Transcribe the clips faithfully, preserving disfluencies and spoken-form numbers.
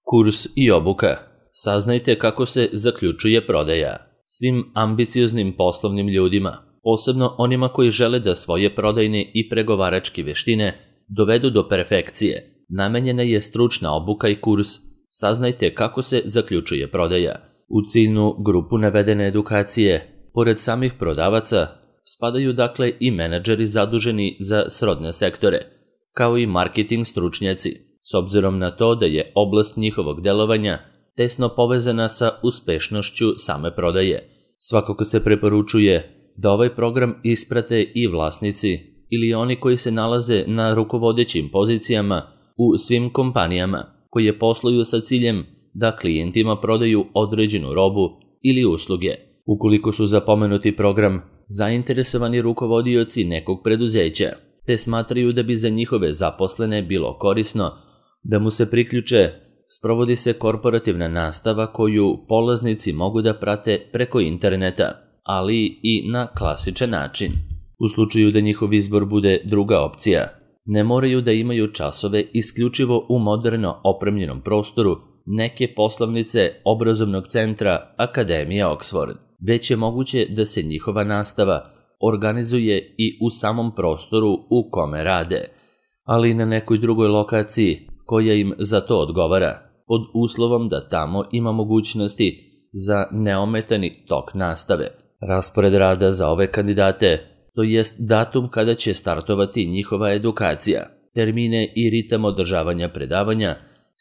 Kurs i obuka. Saznajte kako se zaključuje prodaja. Svim ambicioznim poslovnim ljudima, posebno onima koji žele da svoje prodajne i pregovaračke veštine dovedu do perfekcije, namenjena je stručna obuka i kurs Saznajte kako se zaključuje prodaja. U ciljnu grupu navedene edukacije, pored samih prodavaca, spadaju dakle i menadžeri zaduženi za srodne sektore, kao i marketing stručnjaci, s obzirom na to da je oblast njihovog delovanja tesno povezana sa uspešnošću same prodaje. Svakako se preporučuje da ovaj program isprate i vlasnici ili oni koji se nalaze na rukovodećim pozicijama u svim kompanijama koje posluju sa ciljem da klijentima prodaju određenu robu ili usluge. Ukoliko su za pomenuti program zainteresovani rukovodioci nekog preduzeća, te smatraju da bi za njihove zaposlene bilo korisno da mu se priključe, sprovodi se korporativna nastava koju polaznici mogu da prate preko interneta, ali i na klasičan način. U slučaju da njihov izbor bude druga opcija, ne moraju da imaju časove isključivo u moderno opremljenom prostoru neke poslovnice obrazovnog centra Akademija Oxford, već je moguće da se njihova nastava organizuje i u samom prostoru u kome rade, ali i na nekoj drugoj lokaciji koja im za to odgovara, pod uslovom da tamo ima mogućnosti za neometani tok nastave. Raspored rada za ove kandidate, to jest datum kada će startovati njihova edukacija, termine i ritam održavanja predavanja,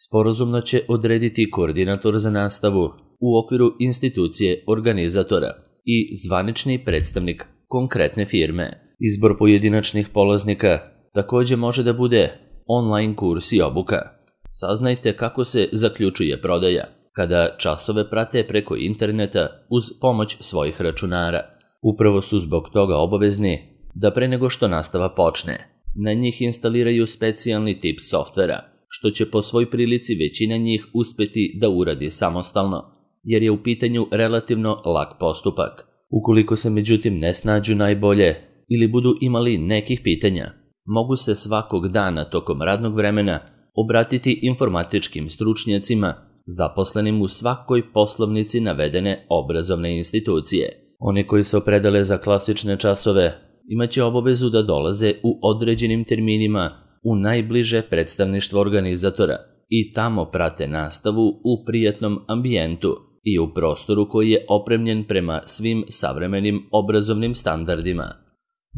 sporazumno će odrediti koordinator za nastavu u okviru institucije organizatora i zvanični predstavnik konkretne firme. Izbor pojedinačnih polaznika takođe može da bude online kurs i obuka. Saznajte kako se zaključuje prodaja kada časove prate preko interneta uz pomoć svojih računara. Upravo su zbog toga obavezni da pre nego što nastava počne, na njih instaliraju specijalni tip softvera, što će po svoj prilici većina njih uspeti da uradi samostalno, jer je u pitanju relativno lak postupak. Ukoliko se međutim ne snađu najbolje ili budu imali nekih pitanja, mogu se svakog dana tokom radnog vremena obratiti informatičkim stručnjacima zaposlenim u svakoj poslovnici navedene obrazovne institucije. Oni koji se opredele za klasične časove imaće obavezu da dolaze u određenim terminima u najbliže predstavništvo organizatora i tamo prate nastavu u prijatnom ambijentu i u prostoru koji je opremljen prema svim savremenim obrazovnim standardima.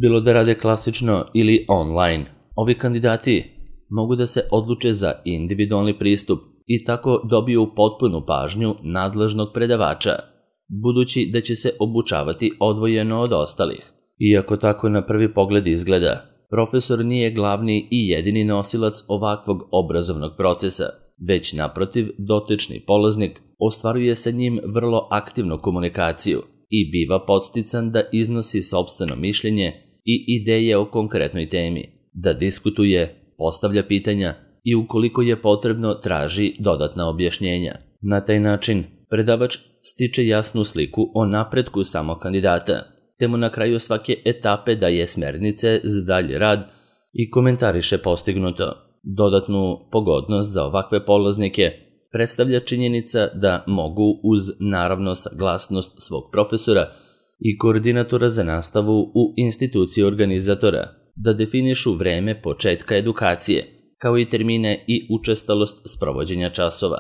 Bilo da rade klasično ili online, ovi kandidati mogu da se odluče za individualni pristup i tako dobiju potpunu pažnju nadležnog predavača, budući da će se obučavati odvojeno od ostalih. Iako tako na prvi pogled izgleda, profesor nije glavni i jedini nosilac ovakvog obrazovnog procesa, već naprotiv dotični polaznik ostvaruje sa njim vrlo aktivnu komunikaciju i biva podstican da iznosi sopstveno mišljenje i ideje o konkretnoj temi, da diskutuje, postavlja pitanja i ukoliko je potrebno traži dodatna objašnjenja. Na taj način predavač stiče jasnu sliku o napretku samog kandidata, te mu na kraju svake etape daje smernice za dalji rad i komentariše postignuto. Dodatnu pogodnost za ovakve polaznike predstavlja činjenica da mogu uz naravno saglasnost svog profesora i koordinatora za nastavu u instituciji organizatora da definišu vreme početka edukacije, kao i termine i učestalost sprovođenja časova.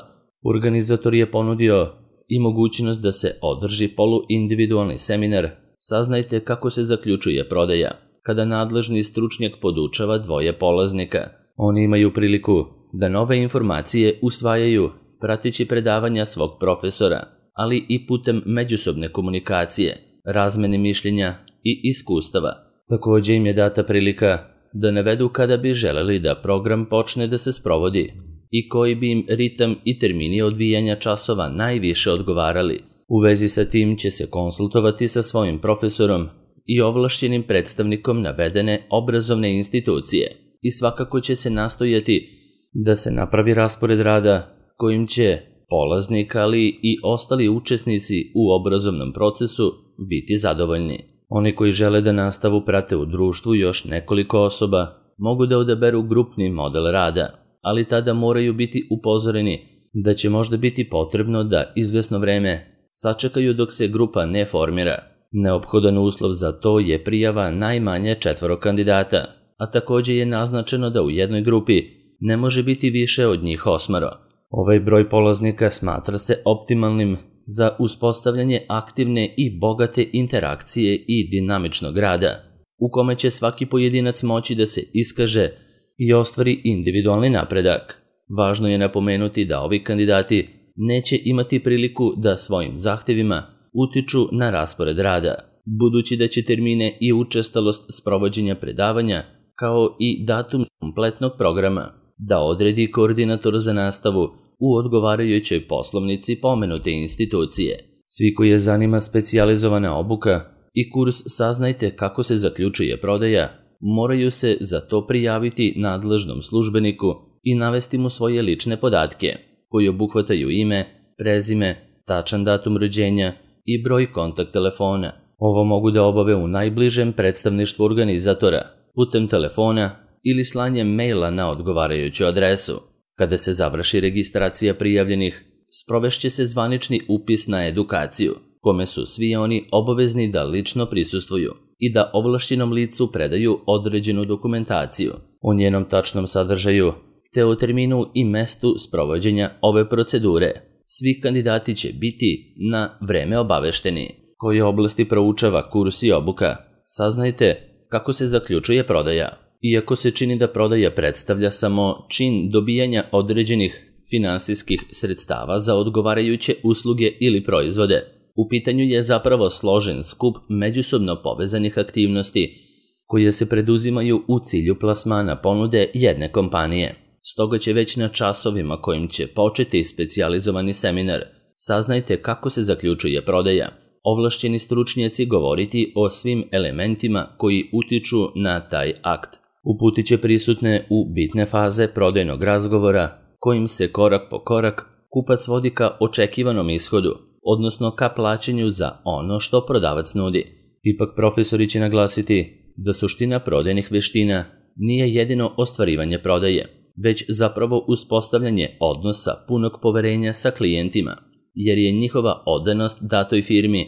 Organizator je ponudio i mogućnost da se održi poluindividualni seminar Saznajte kako se zaključuje prodaja, kada nadležni stručnjak podučava dvoje polaznika. Oni imaju priliku da nove informacije usvajaju prateći predavanja svog profesora, ali i putem međusobne komunikacije, razmene mišljenja i iskustava. Takođe im je data prilika da navedu kada bi želeli da program počne da se sprovodi i koji bi im ritam i termini odvijanja časova najviše odgovarali. U vezi sa tim će se konsultovati sa svojim profesorom i ovlašćenim predstavnikom navedene obrazovne institucije i svakako će se nastojati da se napravi raspored rada kojim će polaznik, ali i ostali učesnici u obrazovnom procesu biti zadovoljni. Oni koji žele da nastavu prate u društvu još nekoliko osoba mogu da odaberu grupni model rada, ali tada moraju biti upozoreni da će možda biti potrebno da izvesno vreme sačekaju dok se grupa ne formira. Neophodan uslov za to je prijava najmanje četvoro kandidata, a takođe je naznačeno da u jednoj grupi ne može biti više od njih osmoro. Ovaj broj polaznika smatra se optimalnim za uspostavljanje aktivne i bogate interakcije i dinamičnog rada, u kome će svaki pojedinac moći da se iskaže i ostvari individualni napredak. Važno je napomenuti da ovi kandidati neće imati priliku da svojim zahtevima utiču na raspored rada, budući da će termine i učestalost sprovođenja predavanja, kao i datum kompletnog programa, da odredi koordinator za nastavu u odgovarajućoj poslovnici pomenute institucije. Svi koji je zanima specijalizovana obuka i kurs Saznajte kako se zaključuje prodaja, moraju se za to prijaviti nadležnom službeniku i navesti mu svoje lične podatke, koji obuhvataju ime, prezime, tačan datum rođenja i broj kontakt telefona. Ovo mogu da obave u najbližem predstavništvu organizatora, putem telefona ili slanjem maila na odgovarajuću adresu. Kada se završi registracija prijavljenih, sprovešće se zvanični upis na edukaciju, kome su svi oni obavezni da lično prisustvuju i da ovlašćenom licu predaju određenu dokumentaciju o njenom tačnom sadržaju, te o terminu i mestu sprovođenja ove procedure. Svi kandidati će biti na vreme obavešteni. Koje oblasti proučava kurs i obuka? Saznajte kako se zaključuje prodaja. Iako se čini da prodaja predstavlja samo čin dobijanja određenih finansijskih sredstava za odgovarajuće usluge ili proizvode, u pitanju je zapravo složen skup međusobno povezanih aktivnosti koje se preduzimaju u cilju plasmana ponude jedne kompanije. Stoga će već na časovima kojim će početi specijalizovani seminar Saznajte kako se zaključuje prodaja, ovlašćeni stručnjaci govoriti o svim elementima koji utiču na taj akt. Uputit će prisutne u bitne faze prodajnog razgovora, kojim se korak po korak kupac vodi ka očekivanom ishodu, odnosno ka plaćanju za ono što prodavac nudi. Ipak profesori će naglasiti da suština prodajnih veština nije jedino ostvarivanje prodaje, već zapravo uspostavljanje odnosa punog poverenja sa klijentima, jer je njihova odanost datoj firmi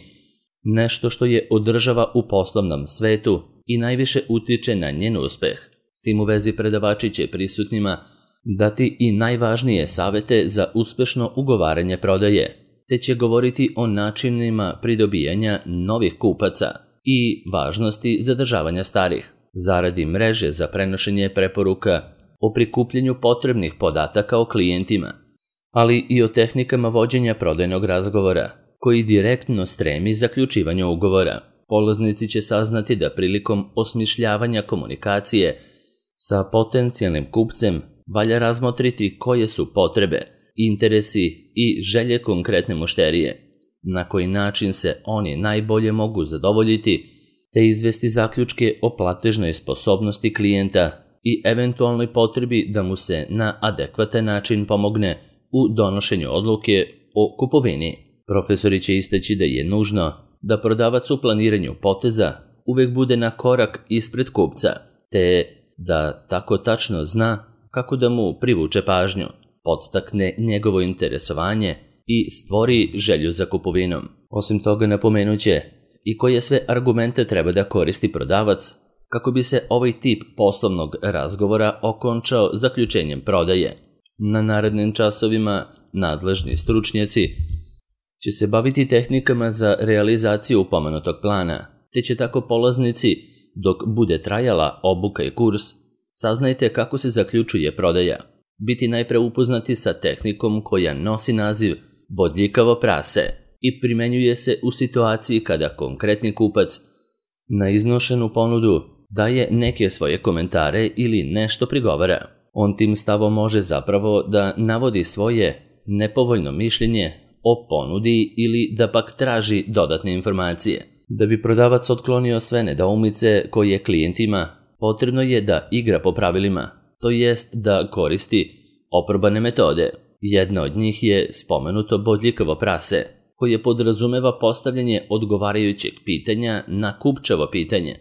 nešto što je održava u poslovnom svetu i najviše utiče na njen uspeh. S tim u vezi predavači će prisutnima dati i najvažnije savete za uspešno ugovaranje prodaje, te će govoriti o načinima pridobijanja novih kupaca i važnosti zadržavanja starih, zaradi mreže za prenošenje preporuka, o prikupljanju potrebnih podataka o klijentima, ali i o tehnikama vođenja prodajnog razgovora, koji direktno stremi zaključivanju ugovora. Polaznici će saznati da prilikom osmišljavanja komunikacije sa potencijalnim kupcem valja razmotriti koje su potrebe, interesi i želje konkretne mušterije, na koji način se oni najbolje mogu zadovoljiti, te izvesti zaključke o platežnoj sposobnosti klijenta i eventualnoj potrebi da mu se na adekvatan način pomogne u donošenju odluke o kupovini. Profesori će istaći da je nužno da prodavac u planiranju poteza uvek bude na korak ispred kupca, te da tako tačno zna kako da mu privuče pažnju, podstakne njegovo interesovanje i stvori želju za kupovinom. Osim toga napomenuće i koje sve argumente treba da koristi prodavac kako bi se ovaj tip poslovnog razgovora okončao zaključenjem prodaje. Na narednim časovima nadležni stručnjaci će se baviti tehnikama za realizaciju pomenutog plana, te će tako polaznici, dok bude trajala obuka i kurs, Saznajte kako se zaključuje prodaja, biti najpre upoznati sa tehnikom koja nosi naziv bodljikavo prase i primenjuje se u situaciji kada konkretni kupac na iznošenu ponudu daje neke svoje komentare ili nešto prigovara. On tim stavom može zapravo da navodi svoje nepovoljno mišljenje o ponudi ili da pak traži dodatne informacije. Da bi prodavac otklonio sve nedoumice koje klijent ima, potrebno je da igra po pravilima, to jest da koristi oprobane metode. Jedna od njih je spomenuto bodljikavo prase, koje podrazumeva postavljanje odgovarajućeg pitanja na kupčevo pitanje,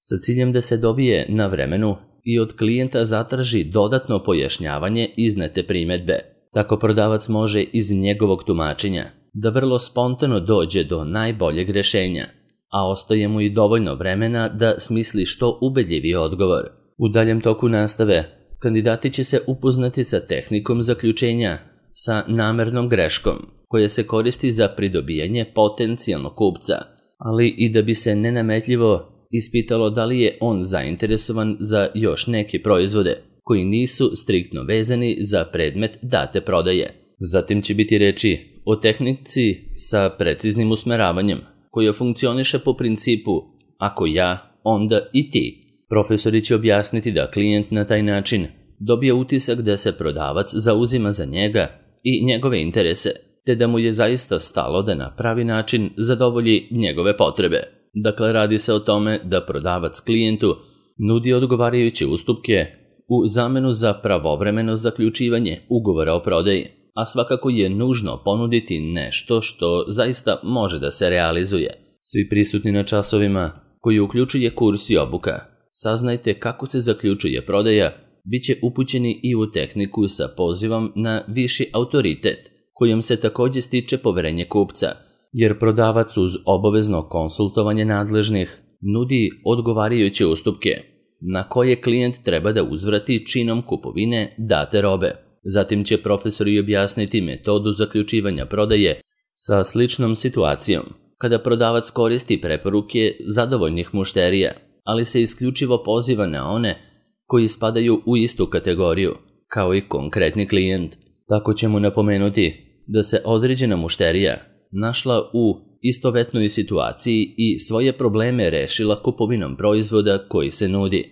sa ciljem da se dobije na vremenu i od klijenta zatraži dodatno pojašnjavanje iznete primedbe. Tako prodavac može iz njegovog tumačenja da vrlo spontano dođe do najboljeg rješenja, a ostaje mu i dovoljno vremena da smisli što ubedljiviji odgovor. U daljem toku nastave, kandidati će se upoznati sa tehnikom zaključenja, sa namernom greškom, koja se koristi za pridobijanje potencijalnog kupca, ali i da bi se nenametljivo ispitalo da li je on zainteresovan za još neke proizvode koji nisu striktno vezani za predmet date prodaje. Zatim će biti reči o tehnici sa preciznim usmeravanjem, koja funkcioniše po principu ako ja, onda i ti. Profesori će objasniti da klijent na taj način dobije utisak da se prodavac zauzima za njega i njegove interese, te da mu je zaista stalo da na pravi način zadovolji njegove potrebe. Dakle, radi se o tome da prodavac klijentu nudi odgovarajuće ustupke u zamenu za pravovremeno zaključivanje ugovora o prodaji, a svakako je nužno ponuditi nešto što zaista može da se realizuje. Svi prisutni na časovima, koji uključuje kurs i obuka, saznajte kako se zaključuje prodaja, bit će upućeni i u tehniku sa pozivom na viši autoritet, kojom se također stiče poverenje kupca, jer prodavac uz obavezno konsultovanje nadležnih nudi odgovarajuće ustupke, na koje klijent treba da uzvrati činom kupovine date robe. Zatim će profesori objasniti metodu zaključivanja prodaje sa sličnom situacijom, kada prodavac koristi preporuke zadovoljnih mušterija, ali se isključivo poziva na one koji spadaju u istu kategoriju, kao i konkretni klijent. Tako će mu napomenuti da se određena mušterija našla u istovetnoj situaciji i svoje probleme rešila kupovinom proizvoda koji se nudi,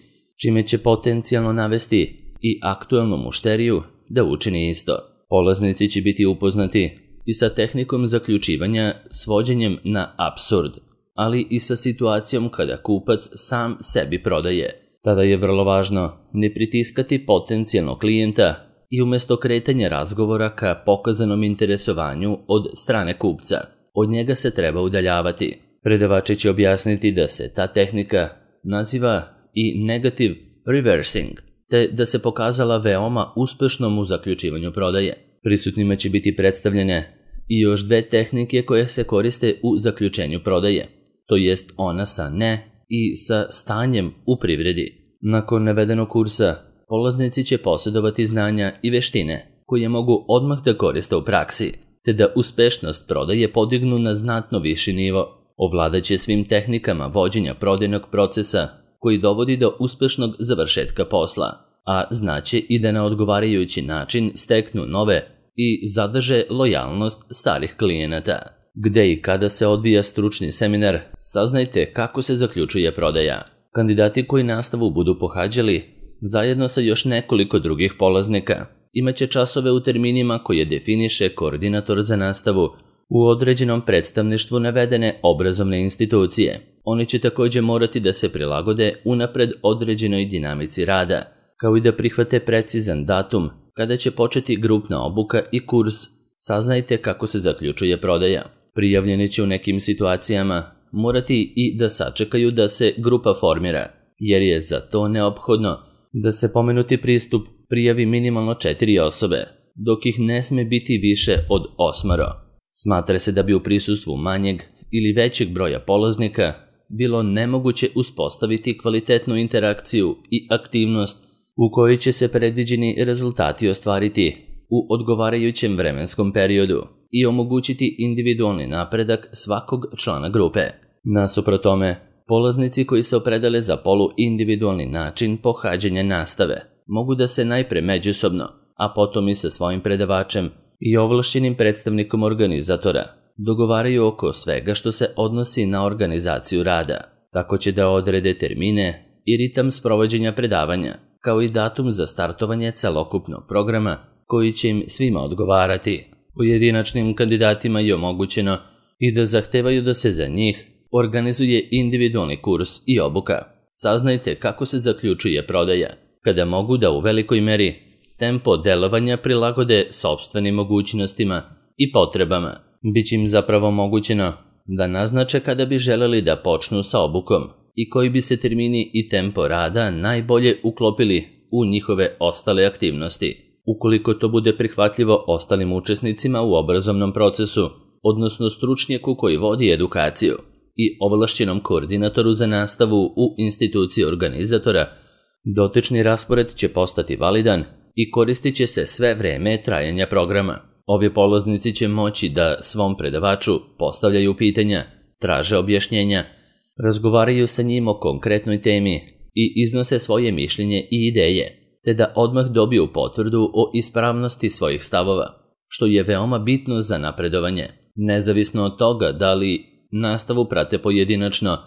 čime će potencijalno navesti i aktuelnu mušteriju da učini isto. Polaznici će biti upoznati i sa tehnikom zaključivanja svođenjem na apsurd, ali i sa situacijom kada kupac sam sebi prodaje. Tada je vrlo važno ne pritiskati potencijalnog klijenta i umjesto kretanja razgovora ka pokazanom interesovanju od strane kupca, od njega se treba udaljavati. Predavači će objasniti da se ta tehnika naziva i negative reversing, te da se pokazala veoma uspešnom u zaključivanju prodaje. Prisutnima će biti predstavljene i još dve tehnike koje se koriste u zaključenju prodaje, to jest ona sa ne i sa stanjem u privredi. Nakon navedenog kursa, polaznici će posjedovati znanja i veštine koje mogu odmah da koriste u praksi, te da uspešnost prodaje podignu na znatno viši nivo. Ovladaće svim tehnikama vođenja prodajnog procesa koji dovodi do uspešnog završetka posla, a znaće i da na odgovarajući način steknu nove i zadrže lojalnost starih klijenata. Gde i kada se odvija stručni seminar, saznajte kako se zaključuje prodaja. Kandidati koji nastavu budu pohađali, zajedno sa još nekoliko drugih polaznika, imaće časove u terminima koje definiše koordinator za nastavu u određenom predstavništvu navedene obrazovne institucije. Oni će također morati da se prilagode unapred određenoj dinamici rada, kao i da prihvate precizan datum kada će početi grupna obuka i kurs. Saznajte kako se zaključuje prodaja. Prijavljeni će u nekim situacijama morati i da sačekaju da se grupa formira, jer je za to neophodno da se pomenuti pristup prijavi minimalno četiri osobe, dok ih ne sme biti više od osmoro. Smatra se da bi u prisustvu manjeg ili većeg broja polaznika bilo nemoguće uspostaviti kvalitetnu interakciju i aktivnost u kojoj će se predviđeni rezultati ostvariti u odgovarajućem vremenskom periodu i omogućiti individualni napredak svakog člana grupe. Nasuprot tome, polaznici koji se opredele za poluindividualni način pohađanja nastave mogu da se najpre međusobno, a potom i sa svojim predavačem i ovlašćenim predstavnikom organizatora dogovaraju oko svega što se odnosi na organizaciju rada. Tako će da odrede termine i ritam sprovođenja predavanja, kao i datum za startovanje celokupnog programa koji će im svima odgovarati. Pojedinačnim kandidatima je omogućeno i da zahtevaju da se za njih organizuje individualni kurs i obuka. Saznajte kako se zaključuje prodaja, kada mogu da u velikoj meri tempo delovanja prilagode sopstvenim mogućnostima i potrebama. Biće im zapravo omogućeno da naznače kada bi želeli da počnu sa obukom i koji bi se termini i tempo rada najbolje uklopili u njihove ostale aktivnosti. ukoliko to bude prihvatljivo ostalim učesnicima u obrazovnom procesu, odnosno stručnjaku koji vodi edukaciju i ovlašćenom koordinatoru za nastavu u instituciji organizatora, dotični raspored će postati validan i koristit će se sve vreme trajanja programa. Ovi polaznici će moći da svom predavaču postavljaju pitanja, traže objašnjenja, razgovaraju sa njim o konkretnoj temi i iznose svoje mišljenje i ideje, te da odmah dobiju potvrdu o ispravnosti svojih stavova, što je veoma bitno za napredovanje, nezavisno od toga da li nastavu prate pojedinačno,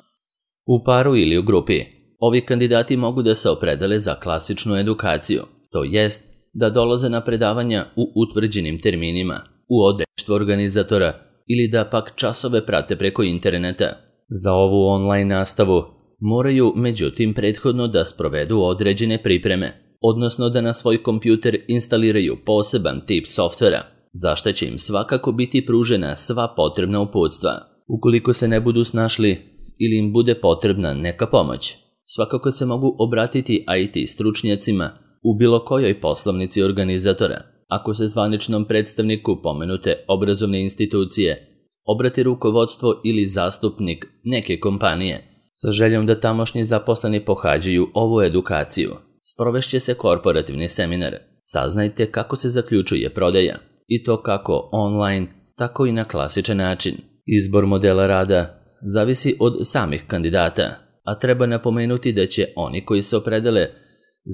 u paru ili u grupi. Ovi kandidati mogu da se opredele za klasičnu edukaciju, to jest da dolaze na predavanja u utvrđenim terminima, u odreštvo organizatora ili da pak časove prate preko interneta. Za ovu online nastavu moraju međutim prethodno da sprovedu određene pripreme, odnosno da na svoj kompjuter instaliraju poseban tip softvera, za što će im svakako biti pružena sva potrebna uputstva. Ukoliko se ne budu snašli ili im bude potrebna neka pomoć, svakako se mogu obratiti I T stručnjacima u bilo kojoj poslovnici organizatora. Ako se zvaničnom predstavniku pomenute obrazovne institucije obrati rukovodstvo ili zastupnik neke kompanije sa željom da tamošnji zaposleni pohađaju ovu edukaciju, sprovešće se korporativni seminar. Saznajte kako se zaključuje prodaja, i to kako online, tako i na klasičan način. Izbor modela rada zavisi od samih kandidata, a treba napomenuti da će oni koji se opredele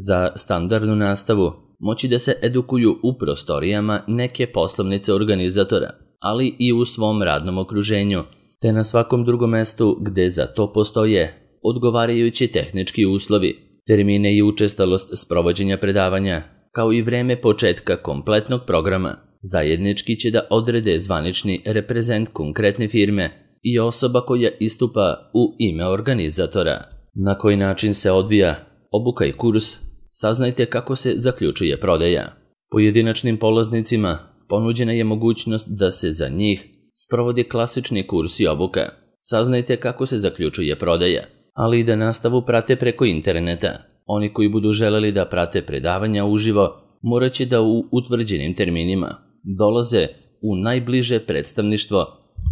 za standardnu nastavu moći da se edukuju u prostorijama neke poslovnice organizatora, ali i u svom radnom okruženju, te na svakom drugom mestu gde za to postoje odgovarajući tehnički uslovi, termine i učestalost sprovođenja predavanja, kao i vreme početka kompletnog programa. Zajednički će da odrede zvanični reprezent konkretne firme i osoba koja istupa u ime organizatora. Na koji način se odvija obuka i kurs, saznajte kako se zaključuje prodaja. Pojedinačnim polaznicima ponuđena je mogućnost da se za njih sprovodi klasični kurs i obuka. Saznajte kako se zaključuje prodaja, ali i da nastavu prate preko interneta. Oni koji budu želeli da prate predavanja uživo, morat će da u utvrđenim terminima dolaze u najbliže predstavništvo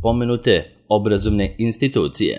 pomenute obrazovne institucije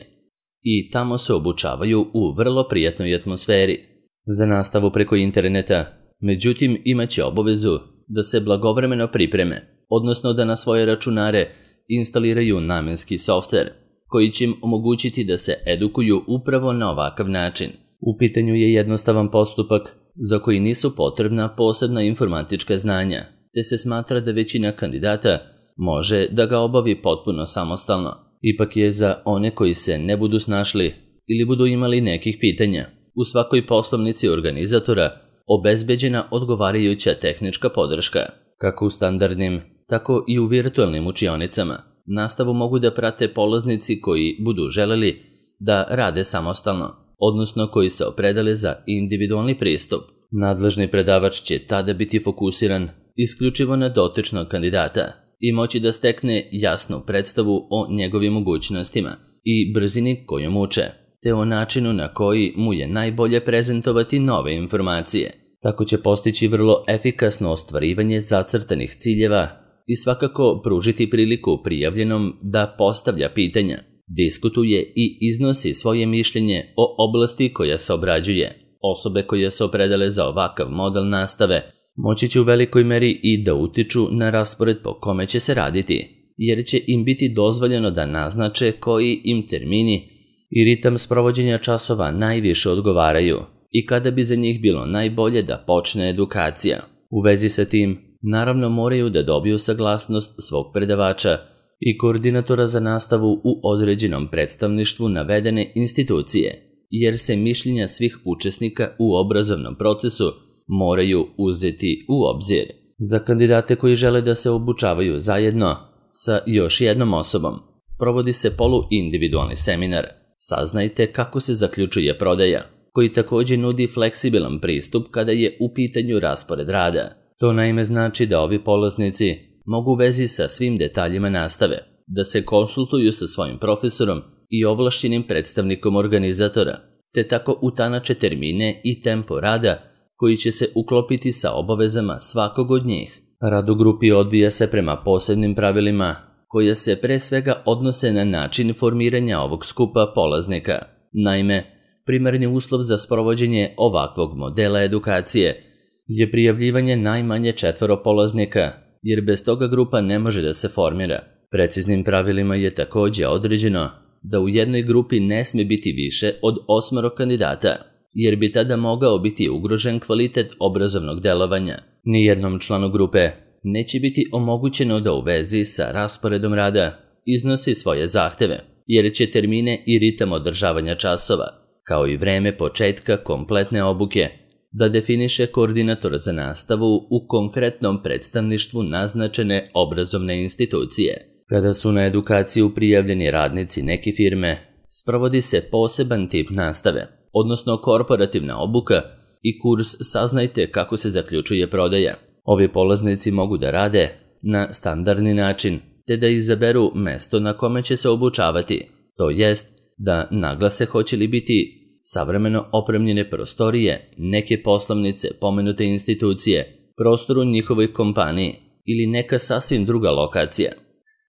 i tamo se obučavaju u vrlo prijatnoj atmosferi. Za nastavu preko interneta, međutim, imaće obavezu da se blagovremeno pripreme, odnosno da na svoje računare instaliraju namenski softver koji će im omogućiti da se edukuju upravo na ovakav način. U pitanju je jednostavan postupak za koji nisu potrebna posebna informatička znanja, te se smatra da većina kandidata može da ga obavi potpuno samostalno. Ipak je za one koji se ne budu snašli ili budu imali nekih pitanja, u svakoj poslovnici organizatora obezbeđena odgovarajuća tehnička podrška, kako u standardnim, tako i u virtualnim učionicama. Nastavu mogu da prate polaznici koji budu želeli da rade samostalno, odnosno koji se opredele za individualni pristup. Nadležni predavač će tada biti fokusiran isključivo na dotičnog kandidata i moći da stekne jasnu predstavu o njegovim mogućnostima i brzini kojom uče, te o načinu na koji mu je najbolje prezentovati nove informacije. Tako će postići vrlo efikasno ostvarivanje zacrtanih ciljeva i svakako pružiti priliku prijavljenom da postavlja pitanja, diskutuje i iznosi svoje mišljenje o oblasti koja se obrađuje. Osobe koje se opredele za ovakav model nastave moći će u velikoj meri i da utiču na raspored po kome će se raditi, jer će im biti dozvoljeno da naznače koji im termini i ritam sprovođenja časova najviše odgovaraju i kada bi za njih bilo najbolje da počne edukacija. U vezi sa tim, naravno moraju da dobiju saglasnost svog predavača i koordinatora za nastavu u određenom predstavništvu navedene institucije, jer se mišljenja svih učesnika u obrazovnom procesu moraju uzeti u obzir. Za kandidate koji žele da se obučavaju zajedno sa još jednom osobom, sprovodi se poluindividualni seminar. Saznajte kako se zaključuje prodaja, koji također nudi fleksibilan pristup kada je u pitanju raspored rada. To naime znači da ovi polaznici mogu u vezi sa svim detaljima nastave, da se konsultuju sa svojim profesorom i ovlašćenim predstavnikom organizatora, te tako utanače termine i tempo rada koji će se uklopiti sa obavezama svakog od njih. Rad u grupi odvija se prema posebnim pravilima koja se pre svega odnose na način formiranja ovog skupa polaznika. Naime, primarni uslov za sprovođenje ovakvog modela edukacije je prijavljivanje najmanje četvoro polaznika, jer bez toga grupa ne može da se formira. Preciznim pravilima je također određeno da u jednoj grupi ne sme biti više od osmoro kandidata, jer bi tada mogao biti ugrožen kvalitet obrazovnog delovanja. Nijednom članu grupe neće biti omogućeno da u vezi sa rasporedom rada iznosi svoje zahteve, jer će termine i ritam održavanja časova, kao i vreme početka kompletne obuke, da definiše koordinator za nastavu u konkretnom predstavništvu naznačene obrazovne institucije. Kada su na edukaciju prijavljeni radnici neke firme, sprovodi se poseban tip nastave, odnosno korporativna obuka i kurs Saznajte kako se zaključuje prodaja. Ovi polaznici mogu da rade na standardni način, te da izaberu mesto na kome će se obučavati, to jest da naglase hoće li biti savremeno opremljene prostorije, neke poslovnice pomenute institucije, prostor u njihovoj kompaniji ili neka sasvim druga lokacija.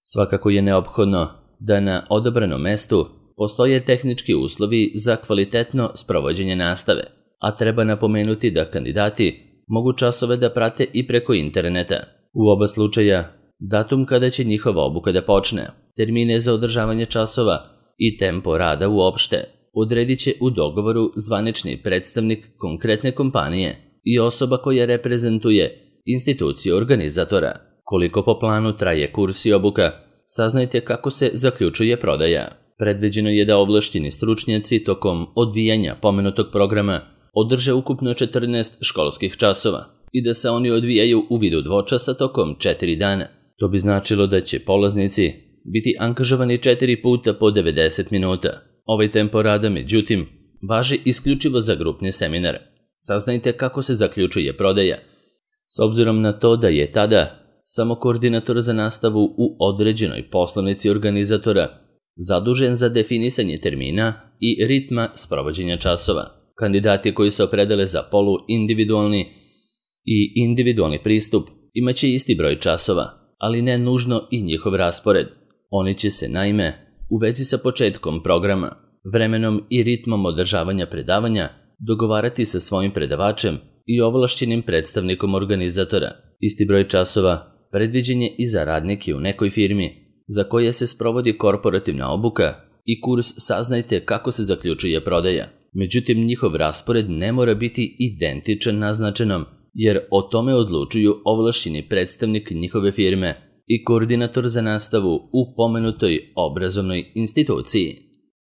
Svakako je neophodno da na odabranom mestu postoje tehnički uslovi za kvalitetno sprovođenje nastave, a treba napomenuti da kandidati mogu časove da prate i preko interneta. U oba slučaja, datum kada će njihova obuka da počne, termine za održavanje časova i tempo rada uopšte odredit će u dogovoru zvanični predstavnik konkretne kompanije i osoba koja reprezentuje instituciju organizatora. Koliko po planu traje kurs i obuka, saznajte kako se zaključuje prodaja. Predviđeno je da ovlašćeni stručnjaci tokom odvijanja pomenutog programa održe ukupno četrnaest školskih časova i da se oni odvijaju u vidu dvočasa tokom četiri dana. To bi značilo da će polaznici biti angažovani četiri puta po devedeset minuta. Ovaj tempo rada, međutim, važi isključivo za grupni seminar. Saznajte kako se zaključuje prodaja. S obzirom na to da je tada samo koordinator za nastavu u određenoj poslovnici organizatora zadužen za definisanje termina i ritma sprovođenja časova. Kandidati koji se opredele za polu-individualni i individualni pristup imaće isti broj časova, ali ne nužno i njihov raspored. Oni će se, naime, u vezi sa početkom programa, vremenom i ritmom održavanja predavanja dogovarati sa svojim predavačem i ovlašćenim predstavnikom organizatora. Isti broj časova predviđen je i za radnike u nekoj firmi za koje se sprovodi korporativna obuka i kurs Saznajte kako se zaključuje prodaja. Međutim, njihov raspored ne mora biti identičan naznačenom, jer o tome odlučuju ovlašćeni predstavnik njihove firme i koordinator za nastavu u pomenutoj obrazovnoj instituciji.